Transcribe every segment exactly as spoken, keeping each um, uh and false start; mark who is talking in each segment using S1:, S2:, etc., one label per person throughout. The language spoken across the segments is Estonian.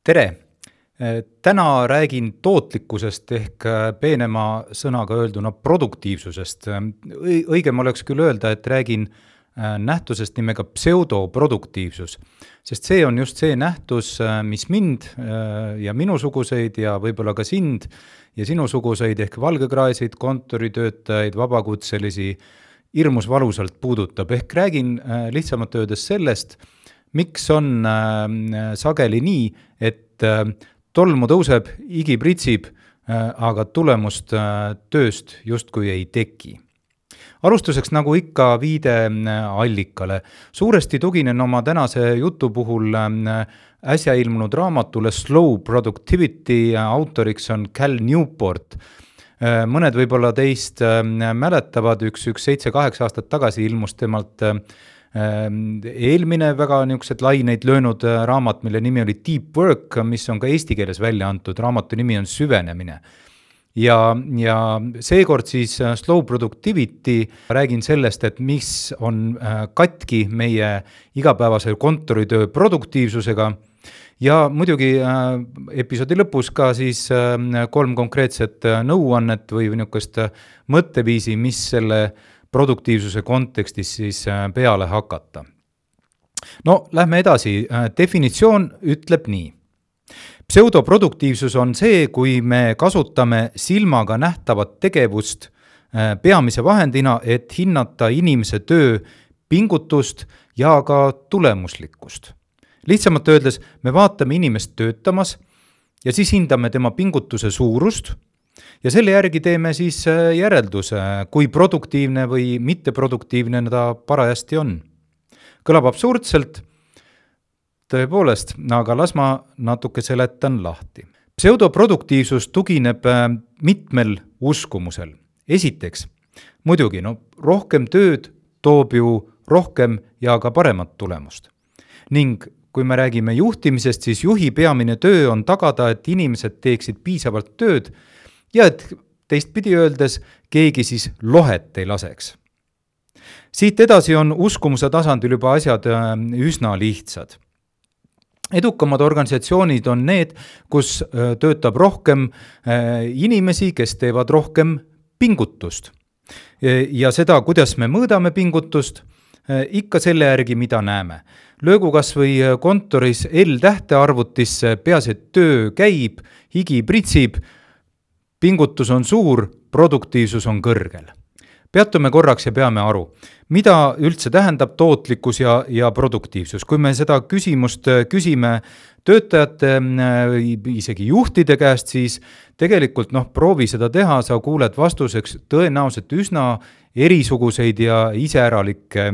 S1: Tere! Täna räägin tootlikkusest ehk peenema sõnaga öelduna produktiivsusest. Õigem oleks küll öelda, et räägin nähtusest nimega pseudoproduktiivsus, sest see on just see nähtus, mis mind ja minusuguseid ja võib-olla ka sind ja sinusuguseid ehk valgekraesid, kontoritöötajaid, vabakutselisi hirmus valusalt puudutab. Ehk räägin lihtsamalt öeldes sellest, miks on sageli nii, et tolmu tõuseb, igi pritsib, aga tulemust tööst justkui ei teki. Alustuseks nagu ikka viide allikale. Suuresti tuginen oma tänase jutu puhul äsja ilmunud raamatule Slow Productivity, autoriks on Cal Newport. Mõned võib-olla teist mäletavad, üks, üks seitse kaheksa aastat tagasi ilmus temalt eelmine väga niisugused laineid löönud raamat, mille nimi oli Deep Work, mis on ka eesti keeles välja antud, raamatu nimi on Süvenemine. Ja, ja seekord siis Slow Productivity räägin sellest, et mis on katki meie igapäevase kontoritöö produktiivsusega ja muidugi episoodi lõpus ka siis kolm konkreetset nõuannet või niisugust mõtteviisi, mis selle produktiivsuse kontekstis siis peale hakata. No, lähme edasi. Definitsioon ütleb nii. Pseudoproduktiivsus on see, kui me kasutame silmaga nähtavat tegevust peamise vahendina, et hinnata inimese töö pingutust ja ka tulemuslikkust. Lihtsamalt öeldes, me vaatame inimest töötamas ja siis hindame tema pingutuse suurust, ja selle järgi teeme siis järelduse, kui produktiivne või mitteproduktiivne ta parajasti on. Kõlab absurdselt, tõepoolest, aga las ma natuke seletan lahti. Pseudoproduktiivsus tugineb mitmel uskumusel. Esiteks, muidugi, no, rohkem tööd toob ju rohkem ja ka paremat tulemust. Ning kui me räägime juhtimisest, siis juhi peamine töö on tagada, et inimesed teeksid piisavalt tööd, ja et teistpidi öeldes keegi siis lohet ei laseks. Siit edasi on uskumuse tasandil juba asjad üsna lihtsad. Edukamad organisatsioonid on need, kus töötab rohkem inimesi, kes teevad rohkem pingutust. Ja seda, kuidas me mõõdame pingutust, ikka selle järgi, mida näeme. Löögu kas või kontoris L-tähte arvutisse, peaasi, et töö käib, higi pritsib, pingutus on suur, produktiivsus on kõrgel. Peatume korraks ja peame aru, mida üldse tähendab tootlikkus ja, ja produktiivsus. Kui me seda küsimust küsime töötajate, isegi juhtide käest, siis tegelikult noh, proovi seda teha, sa kuuled vastuseks tõenäoliselt üsna erisuguseid ja iseäralikke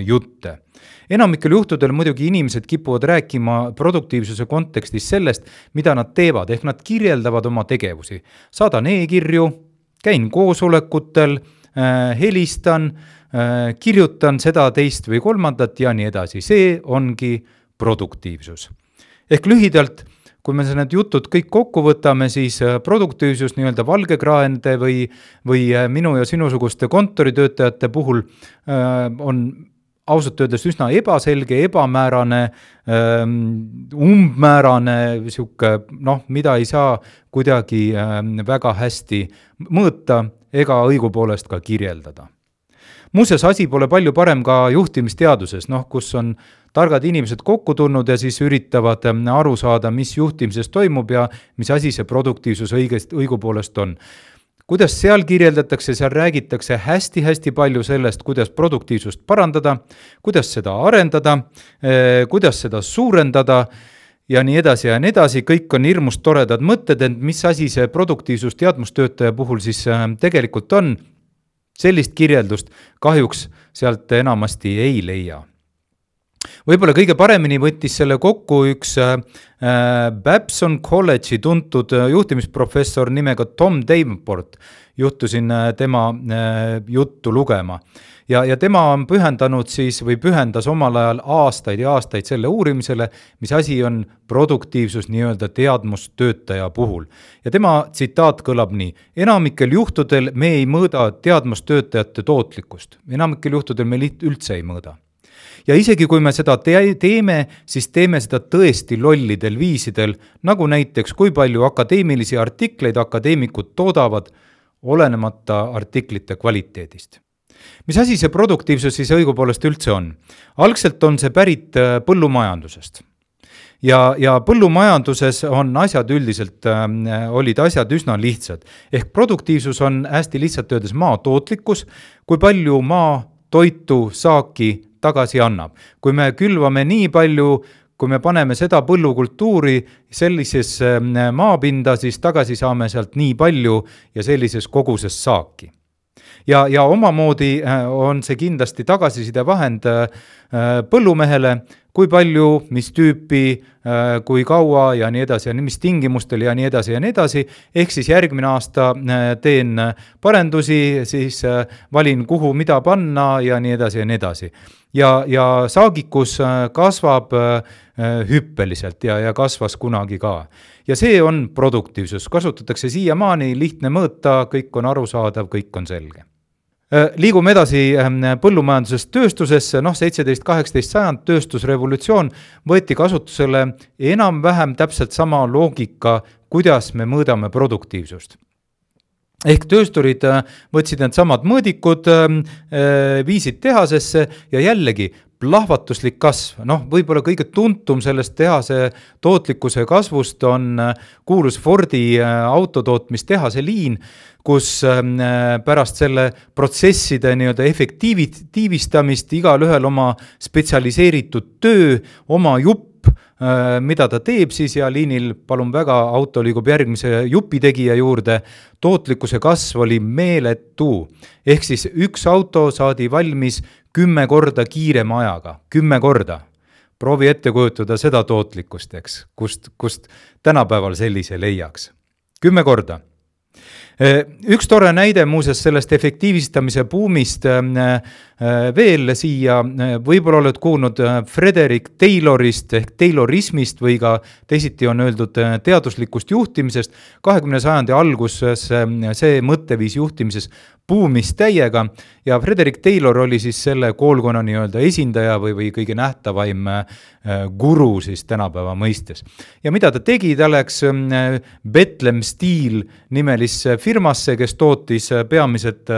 S1: jutte. Enamikel juhtudel muidugi inimesed kipuvad rääkima produktiivsuse kontekstis sellest, mida nad teevad, ehk nad kirjeldavad oma tegevusi. Saadan e-kirju, käin koosolekutel, helistan, kirjutan seda teist või kolmandat ja nii edasi. See ongi produktiivsus. Ehk lühidalt, kui me need jutud kõik kokku võtame, siis produktiivsus nii-öelda valgekraende või, või minu ja sinusuguste kontoritöötajate puhul on ausalt öeldes üsna ebaselge, ebamäärane, umbmäärane, siuke, noh, mida ei saa kuidagi väga hästi mõõta ega õigupoolest ka kirjeldada. Muuseas, asi pole palju parem ka juhtimisteaduses, noh, kus on targad inimesed kokku tulnud ja siis üritavad aru saada, mis juhtimises toimub ja mis asi see produktiivsus õigest, õigupoolest on. Kuidas seal kirjeldatakse, seal räägitakse hästi-hästi palju sellest, kuidas produktiivsust parandada, kuidas seda arendada, kuidas seda suurendada ja nii edasi ja nii edasi. Kõik on hirmus toredad mõtted, et mis asi see produktiivsus teadmustöötaja puhul siis tegelikult on. Sellist kirjeldust kahjuks sealt enamasti ei leia. Võib-olla kõige paremini võttis selle kokku üks äh, Babson College'i tuntud juhtimisprofessor nimega Tom Davenport. Juhtusin tema äh, juttu lugema. Ja, ja tema on pühendanud siis või pühendas omal ajal aastaid ja aastaid selle uurimisele, mis asi on produktiivsus nii-öelda teadmustöötaja puhul. Ja tema tsitaat kõlab nii: enamikel juhtudel me ei mõõda teadmustöötajate tootlikkust. Enamikel juhtudel me üldse ei mõõda. ja isegi kui me seda te- teeme, siis teeme seda tõesti lollidel viisidel, nagu näiteks kui palju akadeemilisi artikleid akadeemikud toodavad, olenemata artiklite kvaliteedist. Mis asi see produktiivsus siis õigupoolest üldse on? Algselt on see pärit põllumajandusest. Ja, ja põllumajanduses on asjad üldiselt, äh, olid asjad üsna lihtsad. Ehk produktiivsus on hästi lihtsalt öeldes maa tootlikkus, kui palju maa toitu saaki tagasi annab. Kui me külvame nii palju, kui me paneme seda põllukultuuri sellises maapinda, siis tagasi saame sealt nii palju ja sellises koguses saaki. Ja, ja omamoodi on see kindlasti tagasiside vahend põllumehele, kui palju, mis tüüpi, kui kaua ja nii edasi ja mis tingimustel ja nii edasi ja nii edasi. Ehk siis järgmine aasta teen parendusi, siis valin kuhu mida panna ja nii edasi ja nii edasi. Ja, ja saagikus kasvab hüppeliselt ja, ja kasvas kunagi ka. Ja see on produktiivsus. Kasutatakse siiamaani, lihtne mõõta, kõik on arusaadav, kõik on selge. Liigume edasi põllumajandusest tööstusesse, noh seitseteist kaheksateist sajand tööstusrevolutsioon võeti kasutusele enam-vähem täpselt sama loogika, kuidas me mõõdame produktiivsust. Ehk töösturid võtsid need samad mõõdikud, viisid tehasesse ja jällegi plahvatuslik kasv. Noh, võib-olla kõige tuntum sellest tehase tootlikkuse kasvust on kuulus Fordi autotootmistehase liin, kus pärast selle protsesside nii-öelda efektiivistamist igal ühel oma spetsialiseeritud töö, oma jupp, mida ta teeb siis ja liinil palun väga, auto liigub järgmise jupitegija juurde, tootlikkuse kasv oli meeletu. Ehk siis üks auto saadi valmis kümme korda kiirema ajaga, kümme korda. Proovi ette kujutada seda tootlikkust, eks, kust, kust tänapäeval sellise leiaks. Kümme korda. Üks tore näide muuses sellest efektiivistamise buumist veel siia, võib-olla oled kuulnud Frederick Taylorist ehk Taylorismist või ka teisiti on öeldud teaduslikust juhtimisest. kahekümnenda sajandi alguses see mõtteviis juhtimises buumis täiega ja Frederick Taylor oli siis selle koolkonna nii-öelda esindaja või, või kõige nähtavaim guru siis tänapäeva mõistes. Ja mida ta tegi, ta läks Bethlehem Steel nimelisse firmasse, kes tootis peamiselt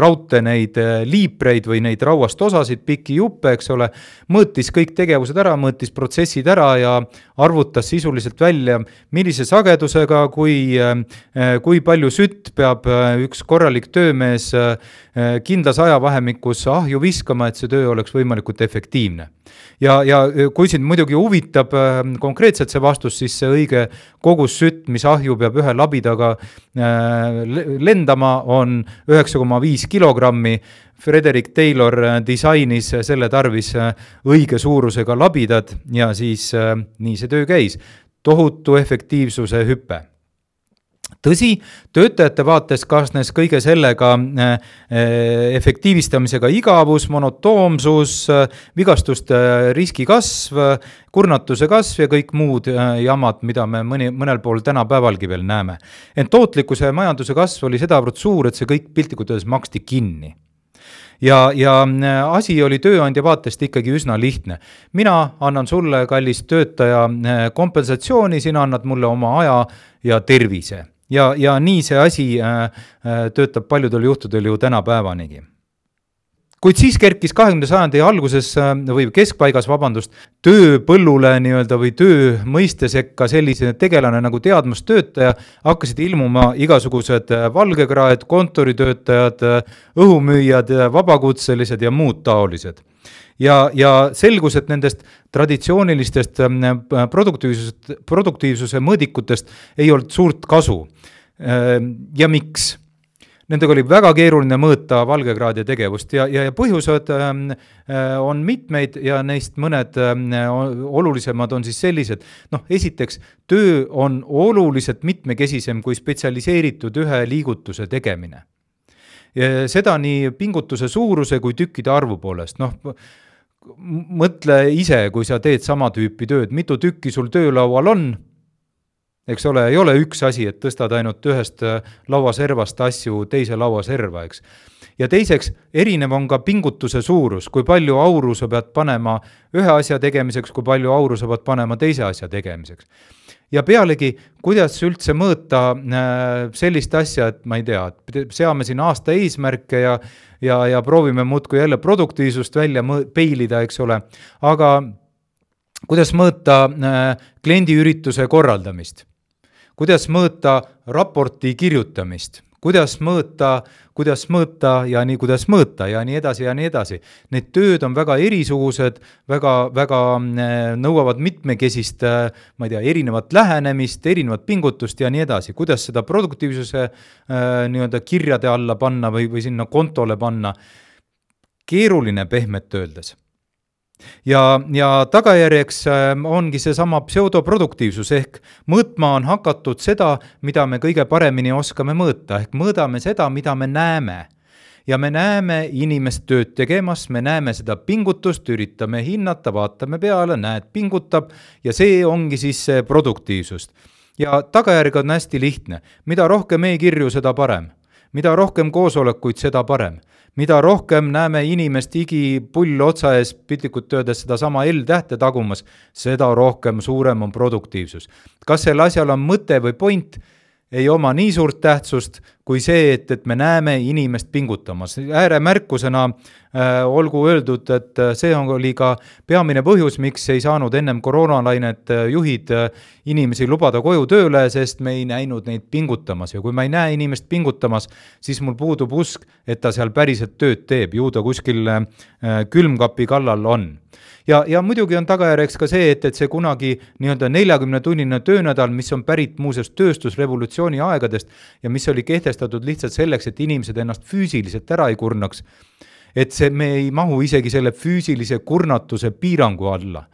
S1: raudte neid liipreid või neid rauast osasid, pikki juppe, eks ole, mõõtis kõik tegevused ära, mõõtis protsessid ära ja arvutas sisuliselt välja, millise sagedusega, kui, kui palju sütt peab üks korralik töömees kindlas ajavahemikus ahju viskama, et see töö oleks võimalikult efektiivne. Ja, ja kui sind muidugi huvitab konkreetselt see vastus, siis see õige kogus sütt, mis ahju peab ühe labidaga lendama, on üheksa koma viis kilogrammi. Frederick Taylor disainis selle tarvis õige suurusega labidad ja siis nii see töö käis. Tohutu efektiivsuse hüppe. Tõsi, töötajate vaates kaasnes kõige sellega efektiivistamisega igavus, monotoomsus, vigastuste riski kasv, kurnatuse kasv ja kõik muud jamad, mida me mõni, mõnel pool tänapäevalgi veel näeme. Ent tootlikkuse ja majanduse kasv oli sedavõrd suur, et see kõik piltlikult öeldes maksti kinni. Ja, ja asi oli tööandja vaatest ikkagi üsna lihtne. Mina annan sulle, kallis töötaja, kompensatsiooni, sina annad mulle oma aja ja tervise. Ja, ja nii see asi äh, töötab paljudel juhtudel ju tänapäevanigi. Kuid siis kerkis kahekümnenda sajandi alguses või keskpaigas, vabandust, töö põllule nii-öelda või töö mõiste sekka sellise tegelane nagu teadmustöötaja, hakkasid ilmuma igasugused valgekraed, kontoritöötajad, õhumüüjad, vabakutselised ja muud taolised. Ja, ja selgus, et nendest traditsioonilistest produktiivsuse, produktiivsuse mõõdikutest ei olnud suurt kasu. Ja miks? Nendega oli väga keeruline mõõta valgekraadi tegevust ja, ja, ja põhjused on mitmeid ja neist mõned olulisemad on siis sellised. Noh, esiteks, töö on oluliselt mitmekesisem kui spetsialiseeritud ühe liigutuse tegemine. Ja seda nii pingutuse suuruse kui tükkide arvu poolest. Noh, mõtle ise, kui sa teed sama tüüpi tööd, mitu tükki sul töölaual on, eks ole, ei ole üks asi, et tõstad ainult ühest lauaservast asju teise lauaserva, eks. ja teiseks, erinev on ka pingutuse suurus, kui palju auru sa pead panema ühe asja tegemiseks, kui palju auru sa pead panema teise asja tegemiseks. Ja pealegi, kuidas üldse mõõta sellist asja, et ma ei tea, et seame siin aasta eesmärke ja, ja, ja proovime muudkui jälle produktiivsust välja peilida, eks ole, aga kuidas mõõta kliendiürituse korraldamist, kuidas mõõta raporti kirjutamist, kuidas mõõta, kuidas mõõta ja nii, kuidas mõõta ja nii edasi ja nii edasi. Need tööd on väga erisugused, väga, väga nõuavad mitmekesist, ma ei tea, erinevat lähenemist, erinevat pingutust ja nii edasi. Kuidas seda produktiivsuse nii-öelda kirjade alla panna või, või sinna kontole panna. Keeruline pehmet öeldes. Ja, ja tagajärjeks ongi see sama pseudoproduktiivsus ehk mõõtma on hakatud seda, mida me kõige paremini oskame mõõta, ehk mõõdame seda, mida me näeme. Ja me näeme inimest tööd tegemas, me näeme seda pingutust, üritame hinnata, vaatame peale, näed, pingutab ja see ongi siis see produktiivsust. Ja tagajärg on hästi lihtne. Mida rohkem e-kirju, seda parem. Mida rohkem koosolekuid, seda parem. Mida rohkem näeme inimest igi pull otsa ees, piltlikult öeldes seda sama L-tähte tagumas, seda rohkem suurem on produktiivsus. Kas sel asjal on mõte või point? Ei oma nii suurt tähtsust kui see, et, et me näeme inimest pingutamas. Ääremärkusena äh, olgu öeldud, et see on oli ka peamine põhjus, miks ei saanud ennem koroonalainet juhid inimesi lubada koju tööle, sest me ei näinud neid pingutamas. Ja kui ma ei näe inimest pingutamas, siis mul puudub usk, et ta seal päriselt tööd teeb. Ju ta kuskil äh, külmkapi kallal on. Ja, ja muidugi on tagajärjeks ka see, et, et see kunagi nii-öelda neljakümne tunnine töönädal, mis on pärit muuseas tööstusrevolutsiooni aegadest ja mis oli kehtestatud lihtsalt selleks, et inimesed ennast füüsiliselt ära ei kurnaks, et see, me ei mahu isegi selle füüsilise kurnatuse piirangu alla.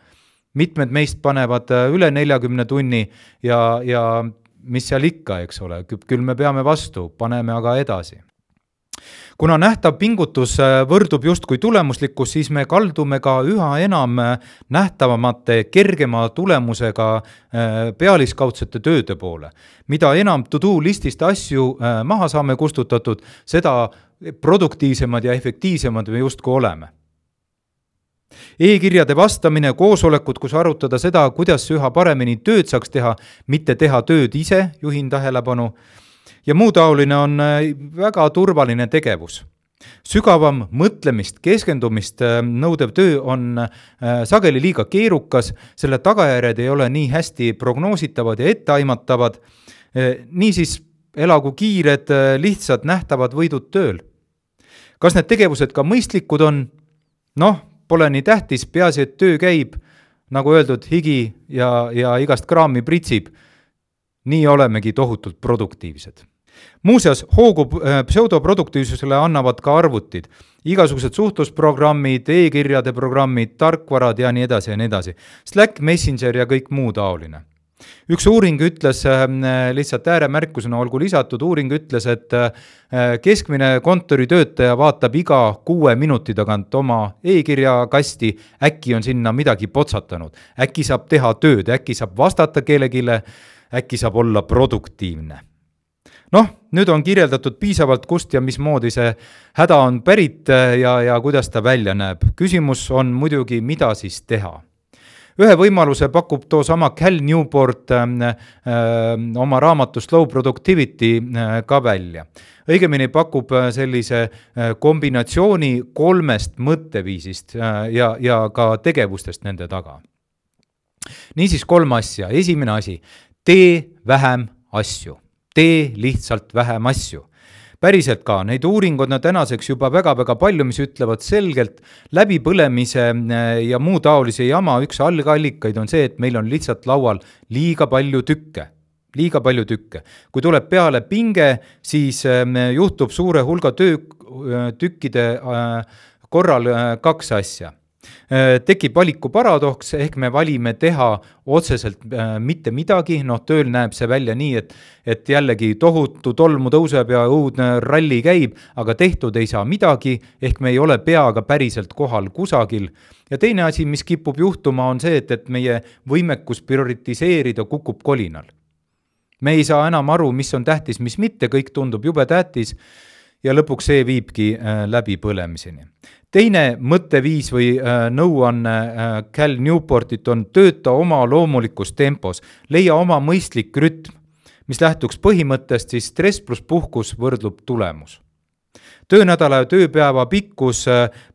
S1: Mitmed meist panevad üle neljakümne tunni ja, ja mis seal ikka, eks ole, küll me peame vastu, paneme aga edasi. Kuna nähtav pingutus võrdub just kui tulemuslikkus, siis me kaldume ka üha enam nähtavamate kergema tulemusega pealiskaudsete tööde poole. Mida enam to-do listist asju maha saame kustutatud, seda produktiivsemad ja efektiivsemad me justku oleme. E-kirjade vastamine, koosolekud, kus arutada seda, kuidas üha paremini tööd saaks teha, mitte teha tööd ise, juhin tähelepanu, ja muu taoline on väga turvaline tegevus. Sügavam mõtlemist, keskendumist nõudev töö on sageli liiga keerukas, selle tagajärjed ei ole nii hästi prognoositavad ja etteaimatavad, niisiis elagu kiired, lihtsad, nähtavad võidud tööl. Kas need tegevused ka mõistlikud on? Noh, pole nii tähtis, peaasi, et töö käib, nagu öeldud, higi ja, ja igast kraami pritsib. Nii olemegi tohutult produktiivsed. Muuseas, hoogu pseudoproduktiivsusele annavad ka arvutid. Igasugused suhtlusprogrammid, e-kirjade programmid, tarkvarad ja nii edasi ja nii edasi. Slack, Messenger ja kõik muu taoline. Üks uuring ütles, lihtsalt ääremärkusena olgu lisatud, uuring ütles, et keskmine kontoritöötaja vaatab iga kuue minuti tagant oma e-kirja kasti, äkki on sinna midagi potsatanud, äkki saab teha tööd, äkki saab vastata kellegile, äkki saab olla produktiivne. Noh, nüüd on kirjeldatud piisavalt kust ja mismoodi see häda on pärit ja, ja kuidas ta välja näeb. Küsimus on muidugi, mida siis teha. Ühe võimaluse pakub too sama Cal Newport äh, äh, oma raamatu Slow Productivity äh, ka välja. Õigemini pakub sellise äh, kombinatsiooni kolmest mõtteviisist äh, ja, ja ka tegevustest nende taga. Niisiis kolm asja. Esimene asi, tee vähem asju. Tee lihtsalt vähem asju. Päriselt ka, neid uuringud on tänaseks juba väga-väga palju, mis ütlevad selgelt läbipõlemise ja muu taolise jama. Üks algallikaid on see, et meil on lihtsalt laual liiga palju tükke. Liiga palju tükke. Kui tuleb peale pinge, siis juhtub suure hulga töö, tükkide korral kaks asja. Tekib valiku paradoks, ehk me valime teha otseselt mitte midagi, noh tööl näeb see välja nii, et, et jällegi tohutu tolmu tõuseb ja õudne ralli käib, aga tehtud ei saa midagi, ehk me ei ole peaga päriselt kohal kusagil. Ja teine asi, mis kipub juhtuma, on see, et, et meie võimekus prioritiseerida kukub kolinal. Me ei saa enam aru, mis on tähtis, mis mitte, kõik tundub jube tähtis. ja lõpuks see viibki läbi põlemiseni. Teine mõtteviis või nõuanne Cal Newportit on tööta oma loomulikus tempos, leia oma mõistlik rütm, mis lähtuks põhimõttest, siis stress plus puhkus võrdlub tulemus. Töönädala ja tööpäeva pikkus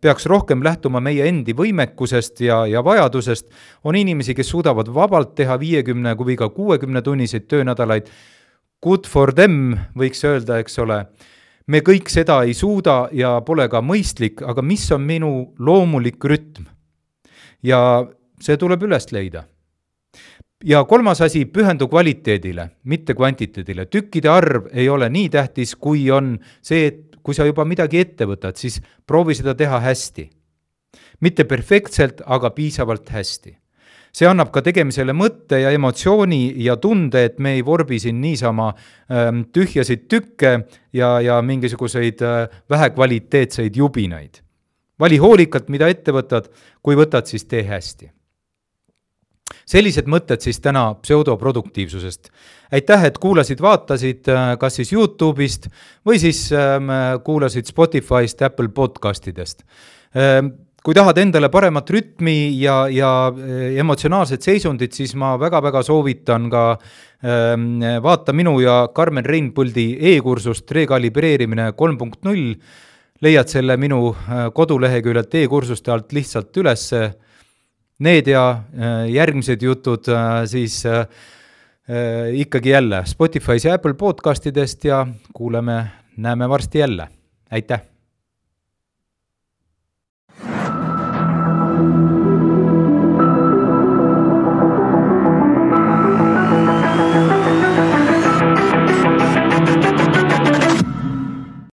S1: peaks rohkem lähtuma meie endi võimekusest ja, ja vajadusest. On inimesi, kes suudavad vabalt teha viiekümne kui ka kuuekümne tunniseid töönädalaid. Good for them, võiks öelda, eks ole. Me kõik seda ei suuda ja pole ka mõistlik, aga mis on minu loomulik rütm? Ja see tuleb üles leida. Ja kolmas asi, pühendu kvaliteedile, mitte kvantiteedile. Tükkide arv ei ole nii tähtis, kui on see, et kui sa juba midagi ette võtad, siis proovi seda teha hästi. Mitte perfektselt, aga piisavalt hästi. See annab ka tegemisele mõtte ja emotsiooni ja tunde, et me ei vorbi siin niisama ähm, tühjasid tükke ja, ja mingisuguseid äh, vähekvaliteetseid jubinaid. Vali hoolikalt, mida ette võtad, kui võtad, siis tee hästi. Sellised mõtted siis täna pseudoproduktiivsusest. Aitäh, et kuulasid, vaatasid kas siis YouTube'ist või siis ähm, kuulasid Spotify'st, Apple podcastidest. Ähm, kui tahad endale paremat rütmi ja, ja emotsionaalset seisundit, siis ma väga-väga soovitan ka ähm, vaata minu ja Karmen Reinpuldi e-kursust rekalibreerimine kolm punkt null. Leiad selle minu koduleheküljelt e-kursuste alt lihtsalt üles. Need ja järgmised jutud siis ikkagi jälle Spotify's ja Apple podcastidest ja kuuleme, näeme varsti jälle. Aitäh!